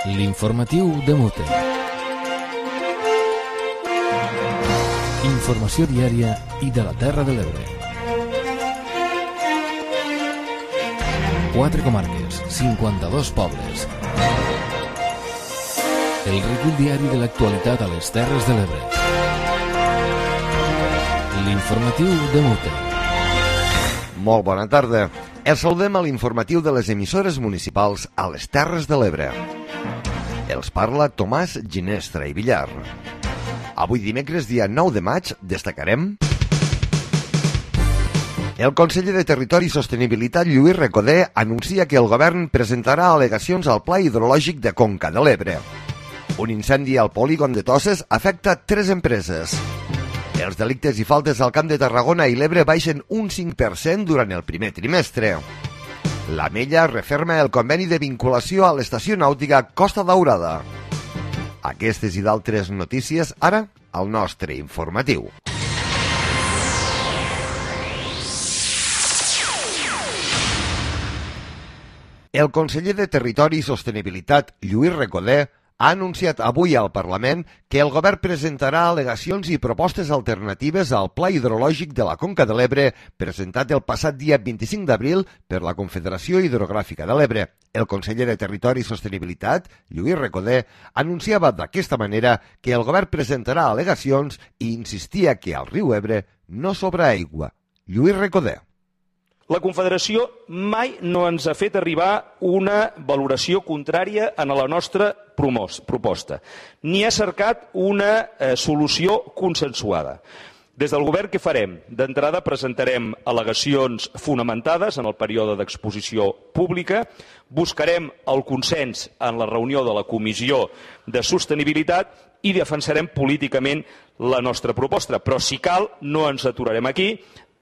L'informatiu de Mute. Informació diària i de la Terra de l'Ebre. 4 comarques, 52 pobles. El recull diari de l'actualitat a les Terres de l'Ebre. L'informatiu de Mute. Molt bona tarda. Els saludem a l'informatiu de les emissores municipals a les Terres de l'Ebre. Els parla Tomàs Ginestra i Villar. Avui dimecres, dia 9 de maig, destacarem... El conseller de Territori i Sostenibilitat, Lluís Recoder, anuncia que el govern presentarà al·legacions al Pla Hidrològic de Conca de l'Ebre. Un incendi al polígon de Toses afecta 3 empreses. Els delictes i faltes al Camp de Tarragona i l'Ebre baixen un 5% durant el primer trimestre. La Mella referma el conveni de vinculació a l'estació nàutica Costa Daurada. Aquestes i d'altres notícies, ara, al nostre informatiu. El conseller de Territori i Sostenibilitat, Lluís Recoder, ha anunciat avui al Parlament que el govern presentarà al·legacions i propostes alternatives al Pla Hidrològic de la Conca de l'Ebre presentat el passat dia 25 d'abril per la Confederació Hidrogràfica de l'Ebre. El conseller de Territori i Sostenibilitat, Lluís Recoder, anunciava d'aquesta manera que el govern presentarà al·legacions i insistia que al riu Ebre no sobra aigua. Lluís Recoder. La Confederació mai no ens ha fet arribar una valoració contrària a la nostra proposta, ni ha cercat una solució consensuada. Des del govern, què farem? D'entrada presentarem al·legacions fonamentades en el període d'exposició pública, buscarem el consens en la reunió de la Comissió de Sostenibilitat i defensarem políticament la nostra proposta. Però si cal, no ens aturarem aquí,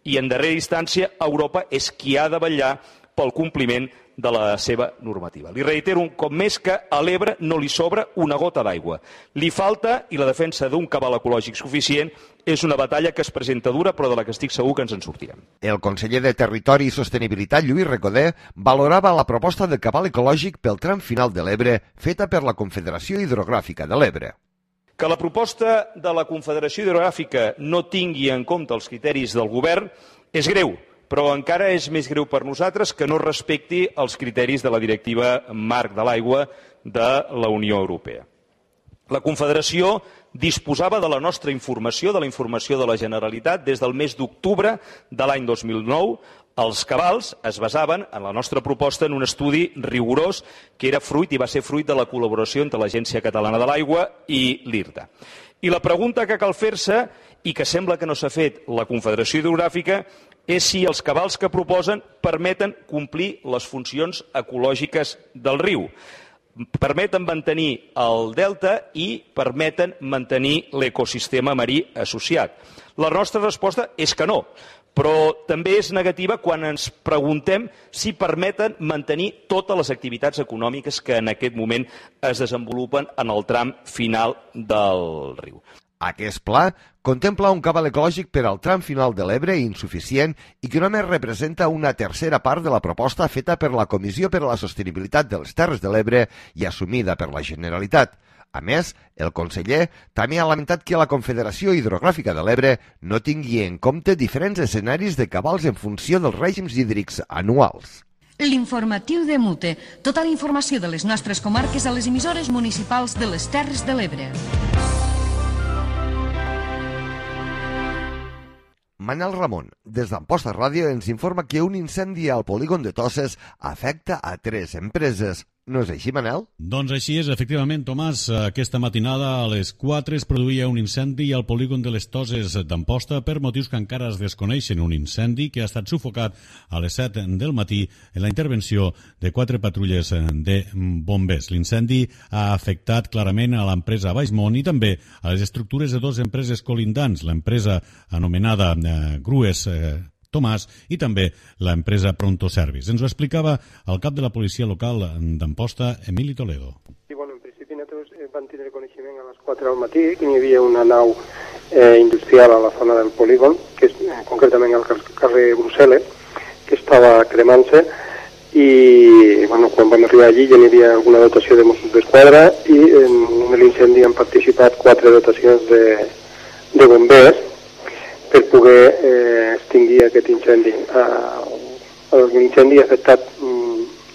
i en darrera instància Europa és qui ha de vetllar pel compliment de la seva normativa. Li reitero un cop més que a l'Ebre no li sobra una gota d'aigua. Li falta, i la defensa d'un cabal ecològic suficient és una batalla que es presenta dura, però de la que estic segur que ens en sortirem. El conseller de Territori i Sostenibilitat, Lluís Recoder, valorava la proposta de cabal ecològic pel tram final de l'Ebre feta per la Confederació Hidrogràfica de l'Ebre. Que la proposta de la Confederació Hidrogràfica no tingui en compte els criteris del govern és greu, però encara és més greu per nosaltres que no respecti els criteris de la Directiva Marc de l'Aigua de la Unió Europea. La Confederació disposava de la nostra informació, de la informació de la Generalitat, des del mes d'octubre de l'any 2009. Els cabals es basaven, en la nostra proposta, en un estudi rigorós que era fruit i va ser fruit de la col·laboració entre l'Agència Catalana de l'Aigua i l'IRTA. I la pregunta que cal fer-se, i que sembla que no s'ha fet la Confederació Hidrogràfica, és si els cabals que proposen permeten complir les funcions ecològiques del riu. Permeten mantenir el delta i permeten mantenir l'ecosistema marí associat. La nostra resposta és que no, però també és negativa quan ens preguntem si permeten mantenir totes les activitats econòmiques que en aquest moment es desenvolupen en el tram final del riu. Aquest pla contempla un cabal ecològic per al tram final de l'Ebre insuficient i que només representa una tercera part de la proposta feta per la Comissió per a la Sostenibilitat de les Terres de l'Ebre i assumida per la Generalitat. A més, el conseller també ha lamentat que la Confederació Hidrogràfica de l'Ebre no tingui en compte diferents escenaris de cabals en funció dels règims hídrics anuals. L'informatiu de Mute. Tota la informació de les nostres comarques a les emissores municipals de les Terres de l'Ebre. Manel Ramon, des d'Amposta Ràdio, ens informa que un incendi al polígon de Toses afecta a 3 empreses. No és així, Manel? Doncs així és, efectivament, Tomàs. Aquesta matinada a les 4 es produïa un incendi al polígon de les Toses d'Amposta per motius que encara es desconeixen. Un incendi que ha estat sufocat a les 7 del matí en la intervenció de 4 patrulles de bombers. L'incendi ha afectat clarament a l'empresa Baixmont i també a les estructures de 2 empreses colindants, l'empresa anomenada Grues Tomàs i també l'empresa Pronto Service. Ens ho explicava el cap de la policia local d'Amposta, Emili Toledo. Sí, bueno, en principi nosaltres vam tenir coneixement a les 4 del matí que hi havia una nau industrial a la zona del polígon, que és concretament al carrer Brussel·les, que estava cremant-se i quan vam arribar allí ja n'hi havia alguna dotació de Mossos d'Esquadra i en l'incendi han participat 4 dotacions de bombers per poder extingir aquest incendi. L'incendi ha afectat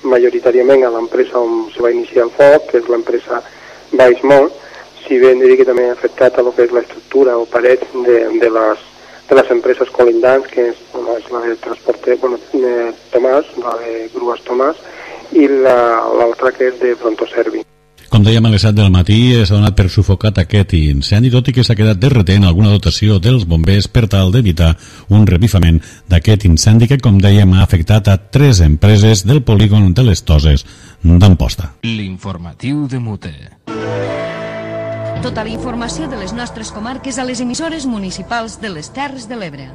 majoritàriament a l'empresa on se va iniciar el foc, que és l'empresa Baixmont, si bé diria que també ha afectat a lo que és l'estructura o parets de les empreses colindants, que és la de transporte Tomàs, la de Grues Tomàs, i l'altra que és de Prontoservi. Com dèiem, a les 7 del matí s'ha donat per sufocat aquest incendi, tot i que s'ha quedat derretent alguna dotació dels bombers per tal d'evitar un revifament d'aquest incendi que, com dèiem, ha afectat a 3 empreses del polígon de les Toses d'Amposta. L'informatiu de Mute. Tota la informació de les nostres comarques a les emissores municipals de les Terres de l'Ebre.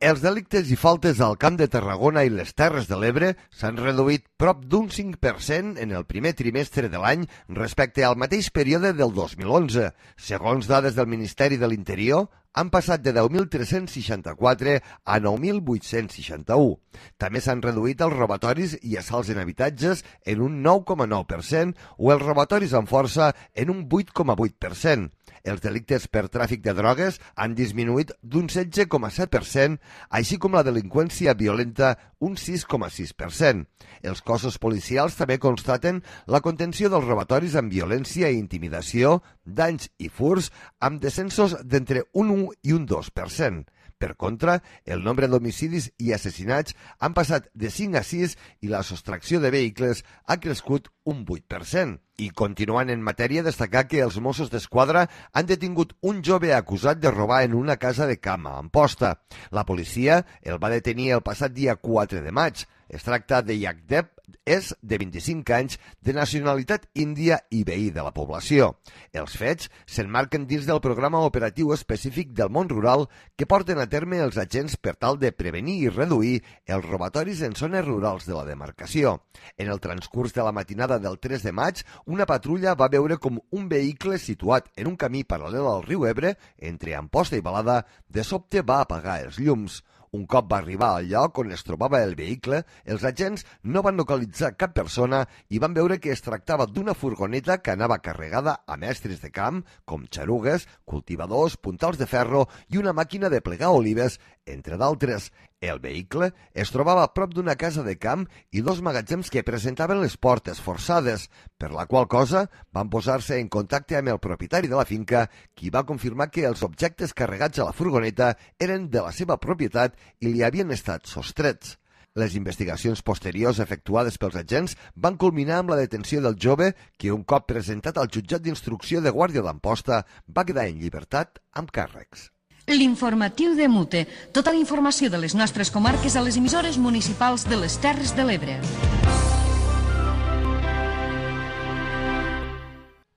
Els delictes i faltes al Camp de Tarragona i les Terres de l'Ebre s'han reduït prop d'un 5% en el primer trimestre de l'any respecte al mateix període del 2011. Segons dades del Ministeri de l'Interior, han passat de 10.364 a 9.861. També s'han reduït els robatoris i assalts en habitatges en un 9,9% o els robatoris amb força en un 8,8%. Els delictes per tràfic de drogues han disminuït d'un 16,7%, així com la delinqüència violenta un 6,6%. Els cossos policials també constaten la contenció dels robatoris amb violència i intimidació, danys i furs, amb descensos d'entre un 1 i un 2%. Per contra, el nombre d'homicidis i assassinats han passat de 5 a 6 i la sostracció de vehicles ha crescut un 8%. I continuant en matèria, destacar que els Mossos d'Esquadra han detingut un jove acusat de robar en una casa de camp a Amposta. La policia el va detenir el passat dia 4 de maig. Es tracta de Yagdev, és de 25 anys, de nacionalitat índia i veí de la població. Els fets s'emmarquen dins del programa operatiu específic del món rural que porten a terme els agents per tal de prevenir i reduir els robatoris en zones rurals de la demarcació. En el transcurs de la matinada del 3 de maig, una patrulla va veure com un vehicle situat en un camí paral·lel al riu Ebre, entre Amposta i Balada, de sobte va apagar els llums. Un cop va arribar al lloc on es trobava el vehicle, els agents no van localitzar cap persona i van veure que es tractava d'una furgoneta que anava carregada amb estris de camp, com xarugues, cultivadors, puntals de ferro i una màquina de plegar olives, entre d'altres. El vehicle es trobava a prop d'una casa de camp i 2 magatzems que presentaven les portes forçades, per la qual cosa van posar-se en contacte amb el propietari de la finca, qui va confirmar que els objectes carregats a la furgoneta eren de la seva propietat i li havien estat sostrets. Les investigacions posteriors efectuades pels agents van culminar amb la detenció del jove que, un cop presentat al jutjat d'instrucció de Guàrdia d'Amposta, va quedar en llibertat amb càrrecs. L'informatiu de Mute. Tota la informació de les nostres comarques a les emissores municipals de les Terres de l'Ebre.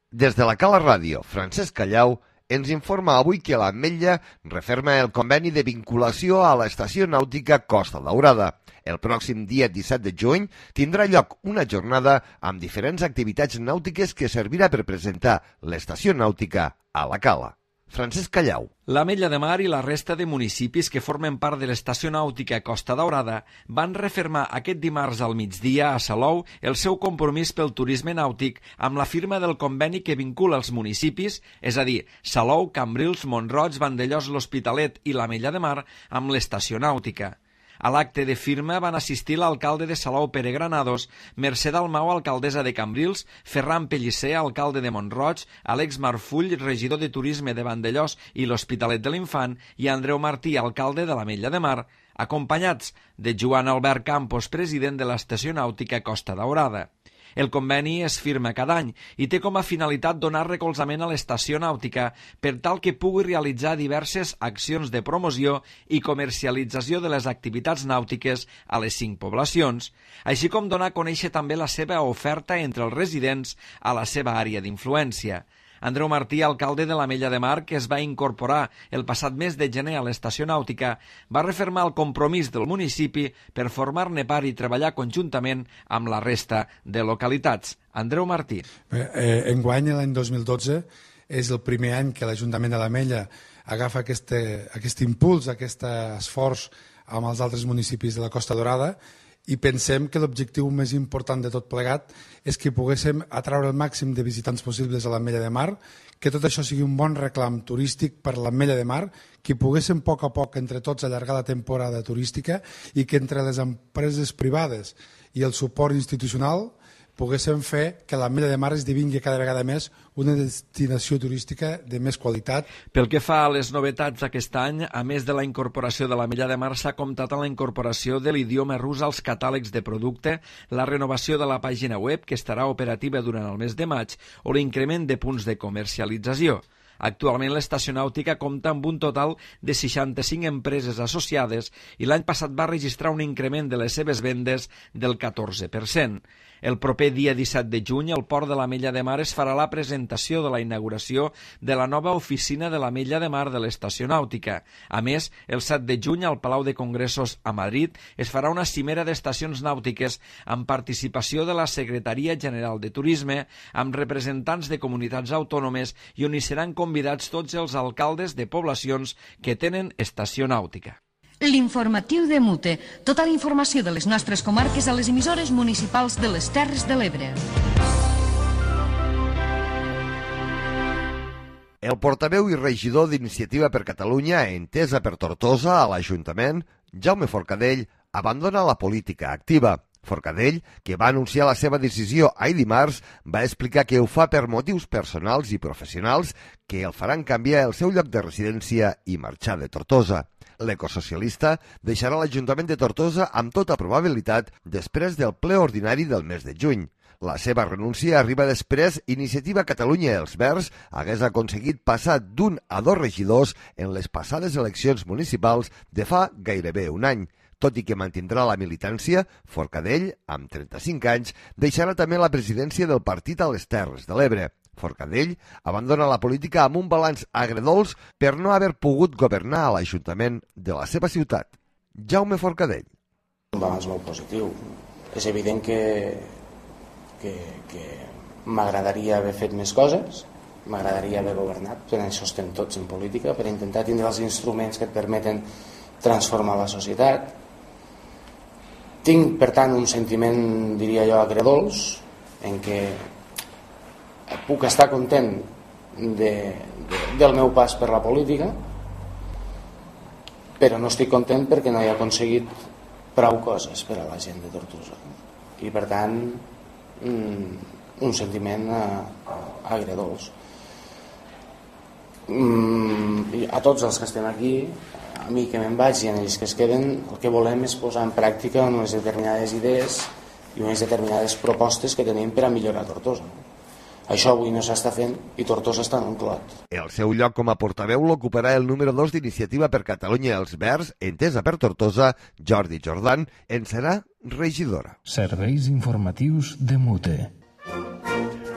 Des de la Cala Ràdio, Francesc Callau ens informa avui que l'Ametlla referma el conveni de vinculació a l'estació nàutica Costa Daurada. El pròxim dia 17 de juny tindrà lloc una jornada amb diferents activitats nàutiques que servirà per presentar l'estació nàutica a la Cala. Francesc Callau. L'Ametlla de Mar i la resta de municipis que formen part de l'estació nàutica Costa Daurada van refermar aquest dimarts al migdia a Salou el seu compromís pel turisme nàutic amb la firma del conveni que vincula els municipis, és a dir, Salou, Cambrils, Mont-roig, Vandellòs, l'Hospitalet i l'Ametlla de Mar amb l'estació nàutica. A l'acte de firma van assistir l'alcalde de Salou, Pere Granados, Mercè Dalmau, alcaldessa de Cambrils, Ferran Pellicer, alcalde de Mont-roig, Àlex Marfull, regidor de Turisme de Vandellòs i l'Hospitalet de l'Infant, i Andreu Martí, alcalde de l'Ametlla de Mar, acompanyats de Joan Albert Campos, president de l'estació nàutica Costa Daurada. El conveni es firma cada any i té com a finalitat donar recolzament a l'estació nàutica per tal que pugui realitzar diverses accions de promoció i comercialització de les activitats nàutiques a les 5 poblacions, així com donar a conèixer també la seva oferta entre els residents a la seva àrea d'influència. Andreu Martí, alcalde de l'Ametlla de Mar, que es va incorporar el passat mes de gener a l'estació nàutica, va refermar el compromís del municipi per formar-ne part i treballar conjuntament amb la resta de localitats. Andreu Martí. Enguany, l'any 2012, és el primer any que l'Ajuntament de l'Ametlla agafa aquest impuls, aquest esforç amb els altres municipis de la Costa Dorada, i pensem que l'objectiu més important de tot plegat és que poguéssim atraure el màxim de visitants possibles a l'Ametlla de Mar, que tot això sigui un bon reclam turístic per l'Ametlla de Mar, que poguéssim a poc entre tots allargar la temporada turística i que entre les empreses privades i el suport institucional poguéssim fer que l'Ametlla de Mar esdevingui cada vegada més una destinació turística de més qualitat. Pel que fa a les novetats d'aquest any, a més de la incorporació de l'Ametlla de Mar, s'ha comptat amb la incorporació de l'idioma rus als catàlegs de producte, la renovació de la pàgina web, que estarà operativa durant el mes de maig, o l'increment de punts de comercialització. Actualment l'estació nàutica compta amb un total de 65 empreses associades i l'any passat va registrar un increment de les seves vendes del 14%. El proper dia 17 de juny, al Port de l'Ametlla de Mar es farà la presentació de la inauguració de la nova oficina de l'Ametlla de Mar de l'estació nàutica. A més, el 7 de juny, al Palau de Congressos a Madrid, es farà una cimera d'estacions nàutiques amb participació de la Secretaria General de Turisme, amb representants de comunitats autònomes i on hi seran convidats tots els alcaldes de poblacions que tenen estació nàutica. L'informatiu de Mute. Tota la informació de les nostres comarques a les emissores municipals de les Terres de l'Ebre. El portaveu i regidor d'Iniciativa per Catalunya, entesa per Tortosa a l'Ajuntament, Jaume Forcadell, abandona la política activa. Forcadell, que va anunciar la seva decisió ahir dimarts, va explicar que ho fa per motius personals i professionals que el faran canviar el seu lloc de residència i marxar de Tortosa. L'ecosocialista deixarà l'Ajuntament de Tortosa amb tota probabilitat després del ple ordinari del mes de juny. La seva renúncia arriba després Iniciativa Catalunya i els Verds hagués aconseguit passar d'un a 2 regidors en les passades eleccions municipals de fa gairebé un any. Tot i que mantindrà la militància, Forcadell, amb 35 anys, deixarà també la presidència del partit a les Terres de l'Ebre. Forcadell abandona la política amb un balanç agredolç per no haver pogut governar a l'Ajuntament de la seva ciutat. Jaume Forcadell. Un balanç molt positiu. És evident que m'agradaria haver fet més coses, m'agradaria haver governat, per això estem tots en política, per intentar tindre els instruments que et permeten transformar la societat. Tinc, per tant, un sentiment, diria jo, agredolç, en què puc estar content del meu pas per la política, però no estic content perquè no he aconseguit prou coses per a la gent de Tortosa. I, per tant, un sentiment agredolç. A tots els que estem aquí, a mi que me'n vaig i a ells que es queden, el que volem és posar en pràctica unes determinades idees i unes determinades propostes que tenim per a millorar Tortosa. Això avui no s'està fent i Tortosa està en un clot. El seu lloc com a portaveu l'ocuparà el número 2 d'Iniciativa per Catalunya i els Verds, entesa per Tortosa, Jordi Jordan, en serà regidora. Serveis informatius de Mute.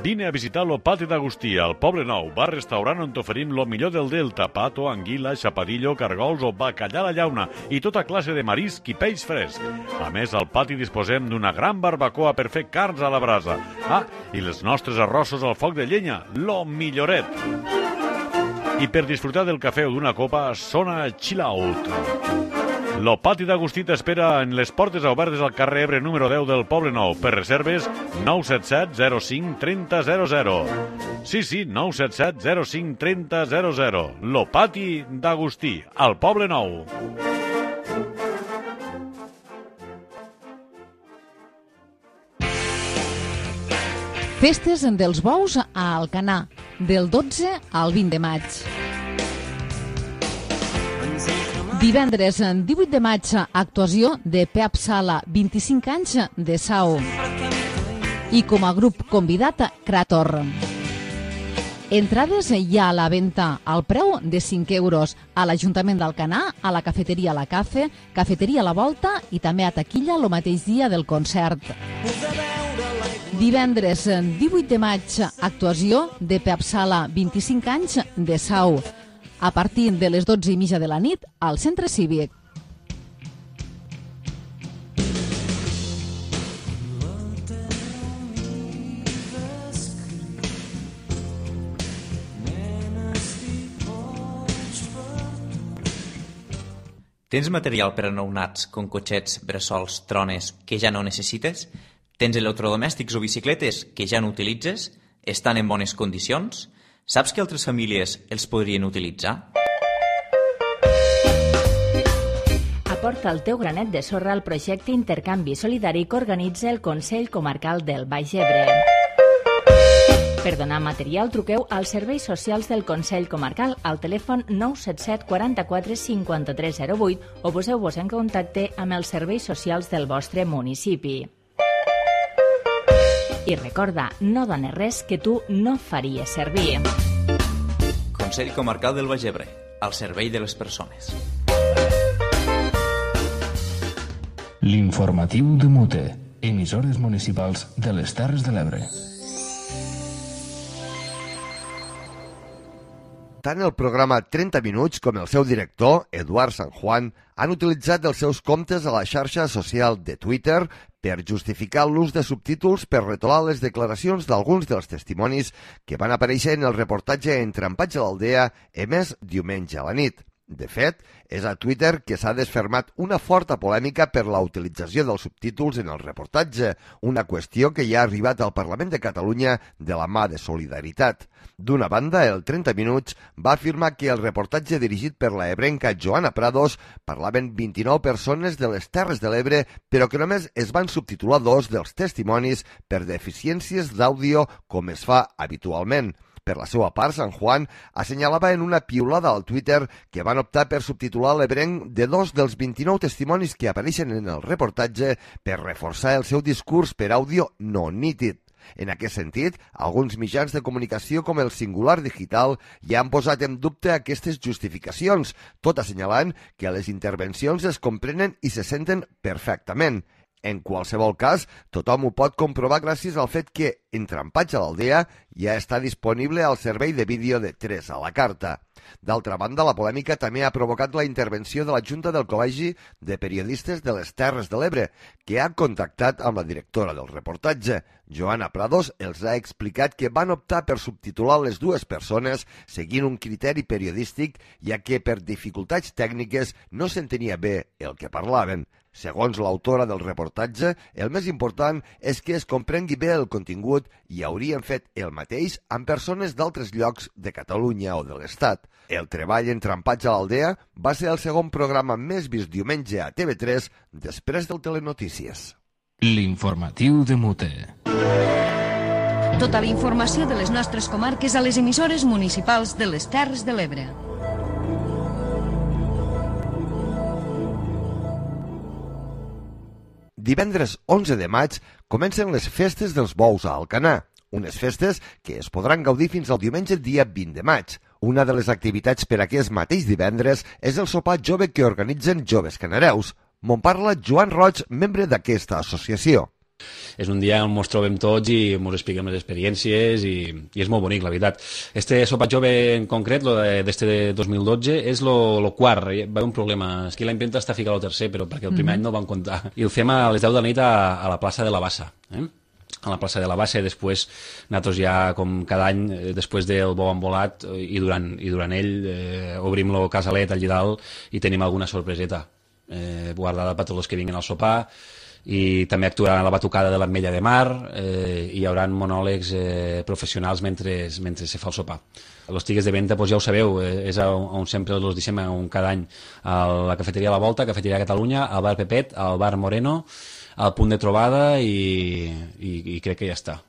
Vine a visitar lo Pati d'Agustí, al Poble Nou, bar-restaurant on t'oferim lo millor del Delta, pato, anguila, xapadillo, cargols o bacallà a la llauna i tota classe de marisc i peix fresc. A més, al pati disposem d'una gran barbacoa per fer carns a la brasa. I els nostres arrossos al foc de llenya, lo milloret. I per disfrutar del cafè o d'una copa, sona Chill Out. Lo Pati d'Agustí t'espera en les portes obertes al carrer Ebre número 10 del Poble Nou. Per reserves, 977 05 30 00. Sí, 977 05 30 00. Lo Pati d'Agustí, al Poble Nou. Festes dels bous a Alcanar, del 12 al 20 de maig. Divendres, 18 de maig, actuació de Pep Sala, 25 anys de Sau. I com a grup convidat, Krator. Entrades ja a la venda al preu de 5 euros a l'Ajuntament d'Alcanar, a la cafeteria La Cafe, cafeteria La Volta i també a taquilla el mateix dia del concert. Divendres, 18 de maig, actuació de Pep Sala, 25 anys de Sau. A partir de les 12:30 de la nit al Centre Cívic. Tens material per a nounats, com cotxets, bressols, trones, que ja no necessites? Tens electrodomèstics o bicicletes que ja no utilitzes? Estan en bones condicions? Saps que altres famílies els podrien utilitzar? Aporta el teu granet de sorra al projecte Intercanvi Solidari que organitza el Consell Comarcal del Baix Ebre. Per donar material, truqueu als serveis socials del Consell Comarcal al telèfon 977 44 53 08 o poseu-vos en contacte amb els serveis socials del vostre municipi. I recorda, no dones res que tu no faries servir. Consell Comarcal del Baix Ebre, al servei de les persones. L'informatiu de Mute, emissores municipals de les Terres de l'Ebre. Tant el programa 30 Minuts com el seu director, Eduard San Juan, han utilitzat els seus comptes a la xarxa social de Twitter per justificar l'ús de subtítols per retolar les declaracions d'alguns dels testimonis que van aparèixer en el reportatge Entrampats a l'Aldea emès diumenge a la nit. De fet, és a Twitter que s'ha desfermat una forta polèmica per la utilització dels subtítols en el reportatge, una qüestió que ja ha arribat al Parlament de Catalunya de la mà de Solidaritat. D'una banda, el 30 Minuts va afirmar que el reportatge dirigit per la ebrenca Joana Prados parlaven 29 persones de les Terres de l'Ebre, però que només es van subtitular 2 dels testimonis per deficiències d'àudio com es fa habitualment. Per la seva part, San Juan assenyalava en una piulada al Twitter que van optar per subtitular l'ebrenc de 2 dels 29 testimonis que apareixen en el reportatge per reforçar el seu discurs per àudio no nítid. En aquest sentit, alguns mitjans de comunicació com el Singular Digital ja han posat en dubte aquestes justificacions, tot assenyalant que les intervencions es comprenen i se senten perfectament. En qualsevol cas, tothom ho pot comprovar gràcies al fet que Entrampats a l'Aldea ja està disponible al servei de vídeo de 3 a la carta. D'altra banda, la polèmica també ha provocat la intervenció de la Junta del Col·legi de Periodistes de les Terres de l'Ebre, que ha contactat amb la directora del reportatge. Joana Prados els ha explicat que van optar per subtitular les dues persones seguint un criteri periodístic, ja que per dificultats tècniques no s'entenia bé el que parlaven. Segons l'autora del reportatge, el més important és que es comprengui bé el contingut i haurien fet el mateix amb persones d'altres llocs de Catalunya o de l'Estat. El treball Entrampats a l'Aldea va ser el segon programa més vist diumenge a TV3 després del Telenotícies. L'informatiu de Mute. Tota la informació de les nostres comarques a les emissores municipals de les Terres de l'Ebre. Divendres 11 de maig comencen les festes dels bous a Alcanar, unes festes que es podran gaudir fins al diumenge dia 20 de maig. Una de les activitats per aquest mateix divendres és el sopar jove que organitzen Joves Canareus. Me'n parla Joan Roig, membre d'aquesta associació. És un dia on ens trobem tots i ens expliquem les experiències i és molt bonic, la veritat. Este sopar jove en concret, d'este 2012, és el quart. Va haver un problema. És que l'any vint està ficat al tercer, però perquè el primer any no el van comptar. I el fem a les 10 de la nit a la plaça de la Bassa. A la plaça de la Bassa, i després nosaltres ja, com cada any, després del bou embolat i durant ell, obrim el casalet al Llidal i tenim alguna sorpreseta guardada per tots els que vinguin al sopar. I també actuaran a la batucada de l'Ametlla de Mar i hi haurà monòlegs professionals mentre se fa el sopar. Les tigues de venda, doncs ja ho sabeu, és on sempre els deixem cada any, a la cafeteria La Volta, cafeteria Catalunya, al bar Pepet, al bar Moreno, al punt de trobada i crec que ja està.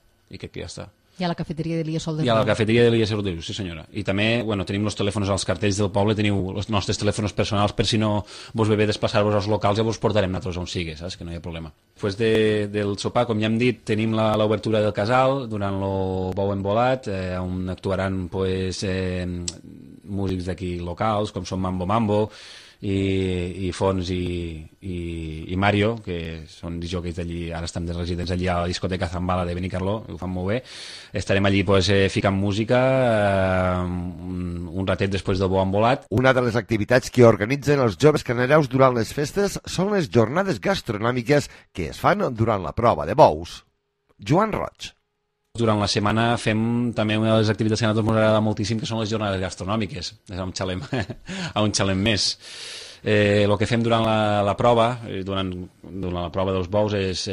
I a la cafeteria de l'Ia Sol de Riu. I a la cafeteria de l'Ia Sol de Riu, sí senyora. I també, tenim els telèfons als cartells del poble, teniu els nostres telèfons personals per si no vos ve bé desplaçar-vos als locals, ja vos portarem nosaltres on sigui, saps? Que no hi ha problema. Després del sopar, com ja hem dit, tenim l'obertura del casal durant el bou embolat, on actuaran músics d'aquí locals, com són Mambo Mambo, i Fons i Mario, que són disjòqueis d'allí, ara estan de residents allí a la discoteca Zambala de Benicarló, ho fan molt bé. Estarem allí ficant música un ratet després del bou embolat. Una de les activitats que organitzen els Joves Canareus durant les festes són les jornades gastronòmiques que es fan durant la prova de bous. Joan Roig. Durant la setmana fem també una de les activitats que a nosaltres ens agrada moltíssim, que són les jornades gastronòmiques. És a un xalem més. El que fem durant la prova, durant la prova dels bous, és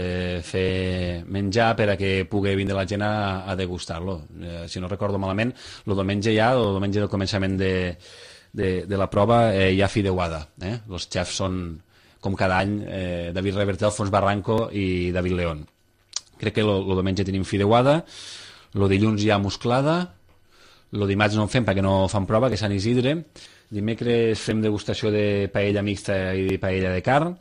fer menjar per a que pugui vindre la gent a degustar-lo. Si no recordo malament, el diumenge del començament de la prova hi ha fideuada. Els xefs són, com cada any, David Reverter, Alfons Barranco i David León. Crec que el diumenge tenim fideuada, el dilluns hi ha musclada, el dimarts no en fem perquè no fan prova, que és Sant Isidre. Dimecres fem degustació de paella mixta i de paella de carn.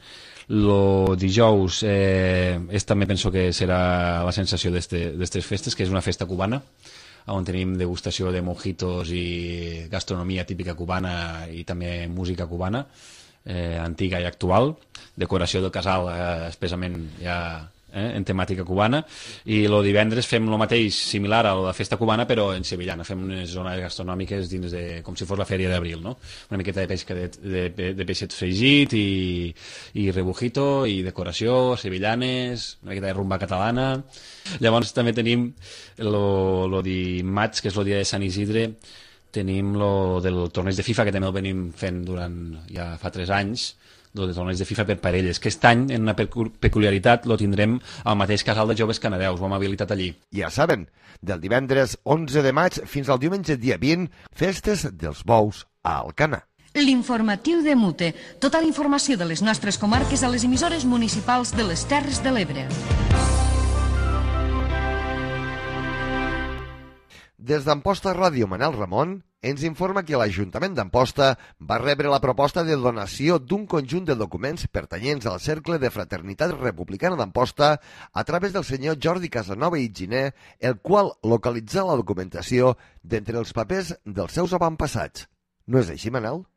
El dijous també penso que serà la sensació d'aquestes festes, que és una festa cubana, on tenim degustació de mojitos i gastronomia típica cubana i també música cubana, antiga i actual, decoració del casal especialment ja en temàtica cubana, i el divendres fem el mateix, similar a la festa cubana, però en sevillana. Fem unes zones gastronòmiques dins com si fos la fèria d'abril, no? Una miqueta de pesca de peixet fregit i rebujito i decoració, sevillanes, una miqueta de rumba catalana. Llavors també tenim el dimarts, que és el dia de Sant Isidre, tenim el del torneig de FIFA, que també el venim fent durant ja fa 3 anys, el de torneig de FIFA per parelles, que aquest any, en una peculiaritat, lo tindrem al mateix casal de joves canadeus, ho hem habilitat allí. Ja saben, del divendres 11 de maig fins al diumenge dia 20, festes dels bous a Alcanar. L'informatiu de Mute. Tota la informació de les nostres comarques a les emissores municipals de les Terres de l'Ebre. Des d'Amposta Ràdio, Manel Ramon ens informa que l'Ajuntament d'Amposta va rebre la proposta de donació d'un conjunt de documents pertanyents al Cercle de Fraternitat Republicana d'Amposta a través del senyor Jordi Casanova i Giner, el qual localitzà la documentació d'entre els papers dels seus avantpassats. No és així, Manel?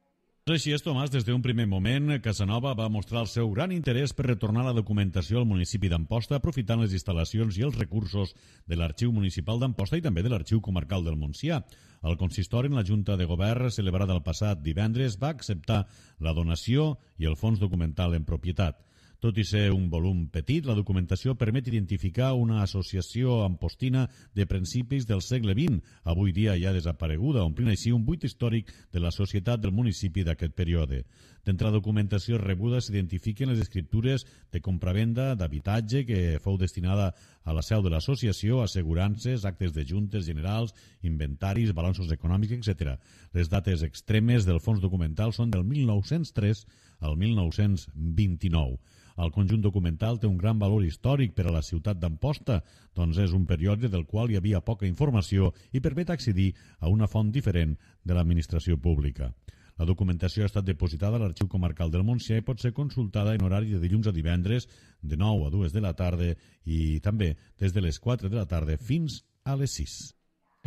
Així és, Tomàs. Des d'un primer moment, Casanova va mostrar el seu gran interès per retornar la documentació al municipi d'Amposta, aprofitant les instal·lacions i els recursos de l'Arxiu Municipal d'Amposta i també de l'Arxiu Comarcal del Montsià. El consistori, en la Junta de Govern celebrada el passat divendres, va acceptar la donació i el fons documental en propietat. Tot i ser un volum petit, la documentació permet identificar una associació ampostina de principis del segle XX, avui dia ja desapareguda, omplint així un buit històric de la societat del municipi d'aquest període. D'entre la documentació rebuda s'identifiquen les escriptures de compravenda d'habitatge que fou destinada a la seu de l'associació, assegurances, actes de juntes generals, inventaris, balanços econòmics, etc. Les dates extremes del fons documental són del 1903 al 1929. El conjunt documental té un gran valor històric per a la ciutat d'Amposta, doncs és un període del qual hi havia poca informació i permet accedir a una font diferent de l'administració pública. La documentació ha estat depositada a l'Arxiu Comarcal del Montsià i pot ser consultada en horari de dilluns a divendres de 9 a 2 de la tarda i també des de les 4 de la tarda fins a les 6.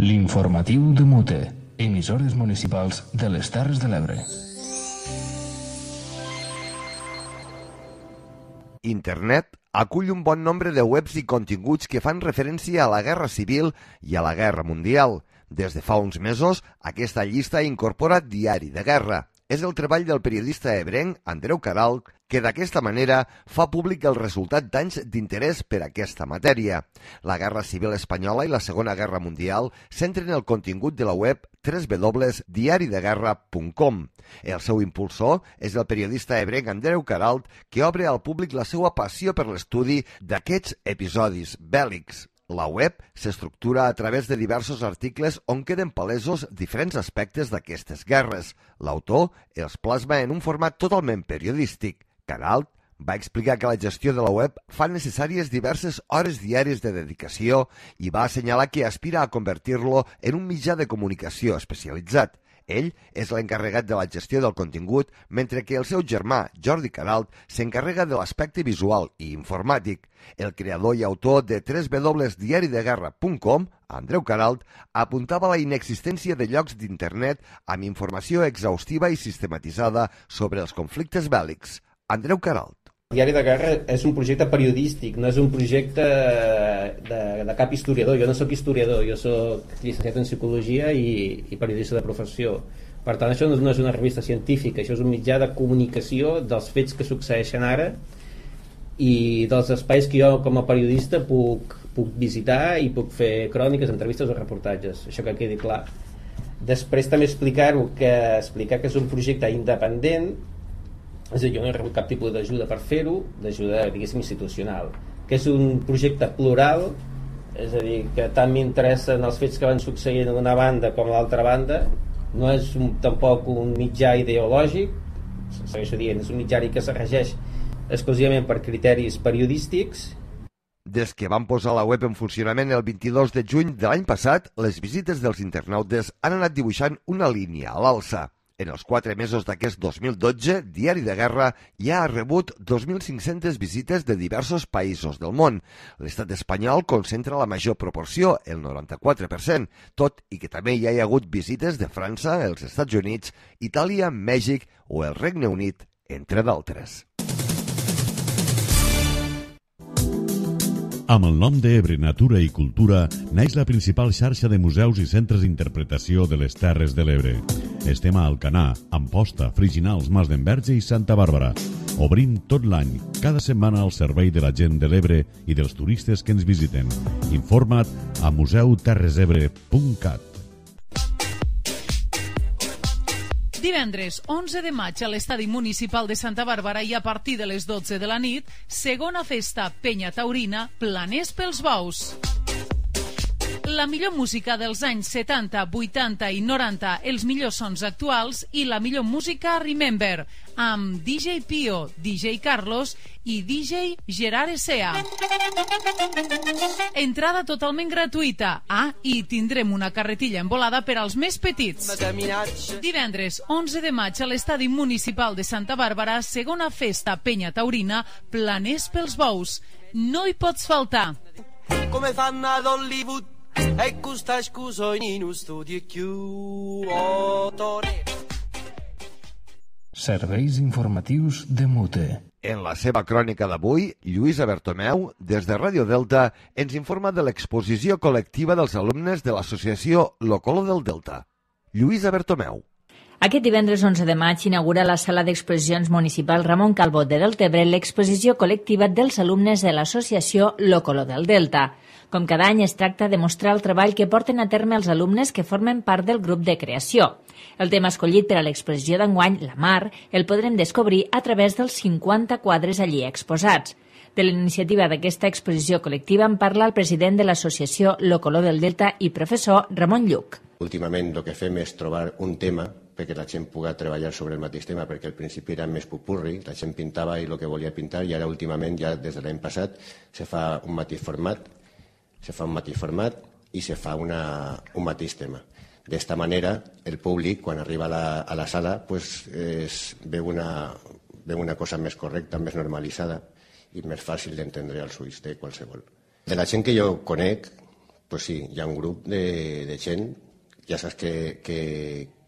L'informatiu de Mute, emissores municipals de les Terres de l'Ebre. Internet acull un bon nombre de webs i continguts que fan referència a la Guerra Civil i a la Guerra Mundial. Des de fa uns mesos, aquesta llista incorpora Diari de Guerra. És el treball del periodista ebrenc Andreu Caralt, que d'aquesta manera fa públic el resultat d'anys d'interès per aquesta matèria. La Guerra Civil Espanyola i la Segona Guerra Mundial centren el contingut de la web www.diarideguerra.com. El seu impulsor és el periodista ebrenc Andreu Caralt, que obre al públic la seva passió per l'estudi d'aquests episodis bèl·lics. La web s'estructura a través de diversos articles on queden palesos diferents aspectes d'aquestes guerres. L'autor els plasma en un format totalment periodístic. Caralt va explicar que la gestió de la web fa necessàries diverses hores diàries de dedicació i va assenyalar que aspira a convertir-lo en un mitjà de comunicació especialitzat. Ell és l'encarregat de la gestió del contingut, mentre que el seu germà, Jordi Caralt, s'encarrega de l'aspecte visual i informàtic. El creador i autor de www.diarideguerra.com, Andreu Caralt, apuntava la inexistència de llocs d'internet amb informació exhaustiva i sistematitzada sobre els conflictes bèl·lics. Andreu Caralt. Diari de Guerra és un projecte periodístic, no és un projecte de cap historiador. Jo no sóc historiador, jo sóc llicenciat en psicologia i periodista de professió. Per tant, això no és una revista científica, això és un mitjà de comunicació dels fets que succeeixen ara i dels espais que jo com a periodista puc visitar i puc fer cròniques, entrevistes o reportatges, això que quedi clar. Després també explicar que és un projecte independent És a dir, jo no he rebut cap tipus d'ajuda per fer-ho, d'ajuda, diguéssim, institucional, que és un projecte plural, és a dir, que tant m'interessen els fets que van succeint d'una banda com l'altra banda, no és tampoc un mitjà ideològic, segueixo dient, és un mitjà que se regeix exclusivament per criteris periodístics. Des que van posar la web en funcionament el 22 de juny de l'any passat, les visites dels internautes han anat dibuixant una línia a l'alça. En els 4 mesos d'aquest 2012, Diari de Guerra ja ha rebut 2.500 visites de diversos països del món. L'estat espanyol concentra la major proporció, el 94%, tot i que també hi ha hagut visites de França, els Estats Units, Itàlia, Mèxic o el Regne Unit, entre d'altres. Amb el nom d'Ebre Natura i Cultura neix la principal xarxa de museus i centres d'interpretació de les Terres de l'Ebre. Estem a Alcanar, Amposta, Friginals, Mas d'Enverge i Santa Bàrbara. Obrim tot l'any, cada setmana al servei de la gent de l'Ebre i dels turistes que ens visiten. Informa't a museuterresebre.cat. Divendres 11 de maig a l'Estadi Municipal de Santa Bàrbara i a partir de les 12 de la nit, segona festa Penya Taurina, Planers pels Bous. La millor música dels anys 70, 80 i 90, els millors sons actuals i la millor música Remember, amb DJ Pio, DJ Carlos i DJ Gerard Essea. Entrada totalment gratuïta. I tindrem una carretilla envolada per als més petits. Divendres 11 de maig a l'Estadi Municipal de Santa Bàrbara, segona festa Penya Taurina, Planers pels Bous. No hi pots faltar. Come fanno ad Hollywood e questa scusa in uno studio chiuso. Serveis informatius de Mute. En la seva crònica d'avui, Lluïsa Bertomeu, des de Ràdio Delta, ens informa de l'exposició col·lectiva dels alumnes de l'associació Lo Color del Delta. Lluïsa Bertomeu. Aquest divendres 11 de maig inaugura la sala d'exposicions municipal Ramon Calvo de Deltebre l'exposició col·lectiva dels alumnes de l'associació Lo Color del Delta. Com cada any es tracta de mostrar el treball que porten a terme els alumnes que formen part del grup de creació. El tema escollit per a l'exposició d'enguany, la mar, el podrem descobrir a través dels 50 quadres allí exposats. De la iniciativa d'aquesta exposició col·lectiva en parla el president de l'associació Lo Color del Delta i professor Ramon Lluc. Últimament el que fem és trobar un tema perquè la gent pugui treballar sobre el mateix tema, perquè al principi era més pupurri, la gent pintava i el que volia pintar, i ara últimament, ja des de l'any passat, se fa un mateix format, i se fa un mateix tema. D'esta manera, el públic, quan arriba a la sala, veu una cosa més correcta, més normalitzada i més fàcil d'entendre als ulls de qualsevol. De la gent que jo conec, sí, hi ha un grup de gent, ja saps que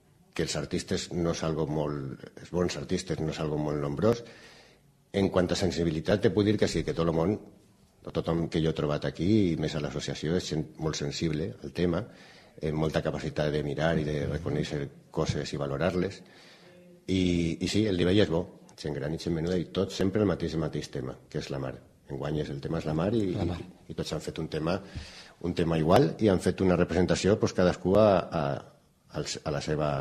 els artistes no és algo molt... Els bons artistes no és algo molt nombrós. En quant a sensibilitat, te puc dir que sí, que tot el món, tothom que jo he trobat aquí, i més a l'associació, és gent molt sensible al tema, amb molta capacitat de mirar i de reconèixer coses i valorar-les. I sí, el nivell és bo, gent gran i gent menuda, i tots sempre el mateix tema, que és la mar. Enguany el tema és la mar i tots han fet un tema igual i han fet una representació cadascú a la seva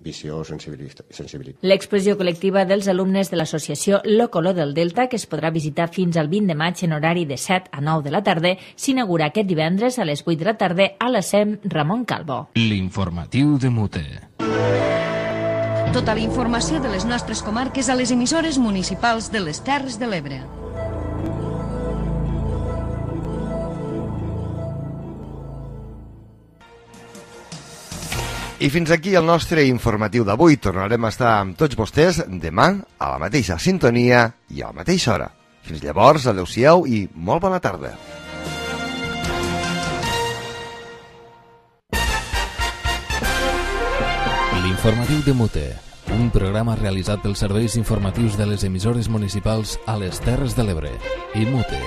visió o sensibilitat. L'exposició col·lectiva dels alumnes de l'associació Lo Color del Delta, que es podrà visitar fins al 20 de maig en horari de 7 a 9 de la tarda, s'inaugura aquest divendres a les 8 de la tarda a la SEM Ramon Calvo. L'informatiu de Mute. Tota la informació de les nostres comarques a les emissores municipals de les Terres de l'Ebre. I fins aquí el nostre informatiu d'avui. Tornarem a estar amb tots vostès demà a la mateixa sintonia i a la mateixa hora. Fins llavors, adeu-siau i molt bona tarda. L'informatiu de Mute, un programa realitzat pels serveis informatius de les emissores municipals a les Terres de l'Ebre i Mute.